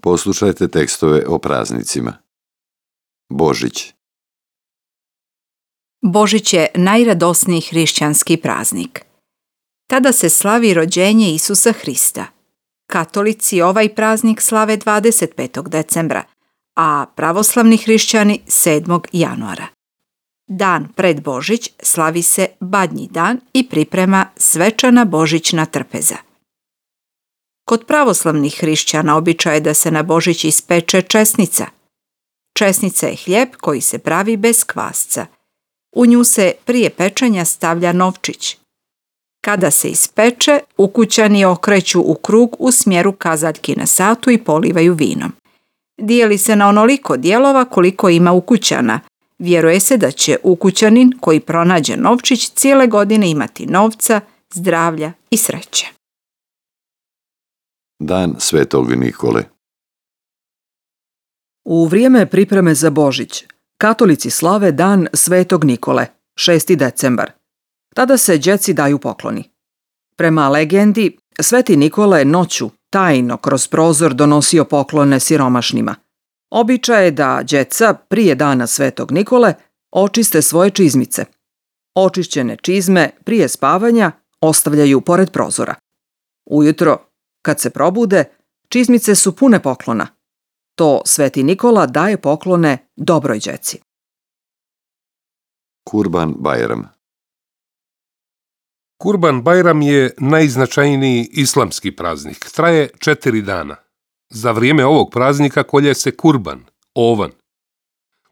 Poslušajte tekstove o praznicima. Božić. Božić je najradosniji hrišćanski praznik. Tada se slavi rođenje Isusa Hrista. Katolici ovaj praznik slave 25. decembra, a pravoslavni hrišćani 7. januara. Dan pred Božić slavi se Badnji dan i priprema svečana božićna trpeza. Kod pravoslavnih hrišćana običaj je da se na Božić ispeče česnica. Česnica je hljeb koji se pravi bez kvasca. U nju se prije pečenja stavlja novčić. Kada se ispeče, ukućani okreću u krug u smjeru kazaljki na satu i polivaju vinom. Dijeli se na onoliko dijelova koliko ima ukućana. Vjeruje se da će ukućanin koji pronađe novčić cijele godine imati novca, zdravlja i sreće. Dan Svetog Nikole. U vrijeme pripreme za Božić, katolici slave dan Svetog Nikole, 6. decembar. Tada se djeci daju pokloni. Prema legendi, Sveti Nikola je noću tajno kroz prozor donosio poklone siromašnima. Običaj je da djeca prije dana Svetog Nikole očiste svoje čizmice. Očišćene čizme prije spavanja ostavljaju pored prozora. Ujutro, kad se probude, čizmice su pune poklona. To Sveti Nikola daje poklone dobroj djeci. Kurban Bajram. Kurban Bajram je najznačajniji islamski praznik. Traje 4 dana. Za vrijeme ovog praznika kolje se kurban, ovan.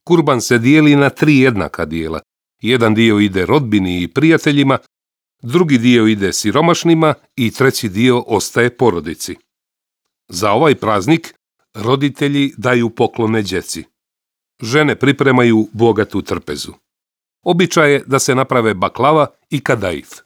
Kurban se dijeli na 3 jednaka dijela. Jedan dio ide rodbini i prijateljima, drugi dio ide siromašnima i treći dio ostaje porodici. Za ovaj praznik roditelji daju poklone djeci. Žene pripremaju bogatu trpezu. Običaj je da se naprave baklava i kadaif.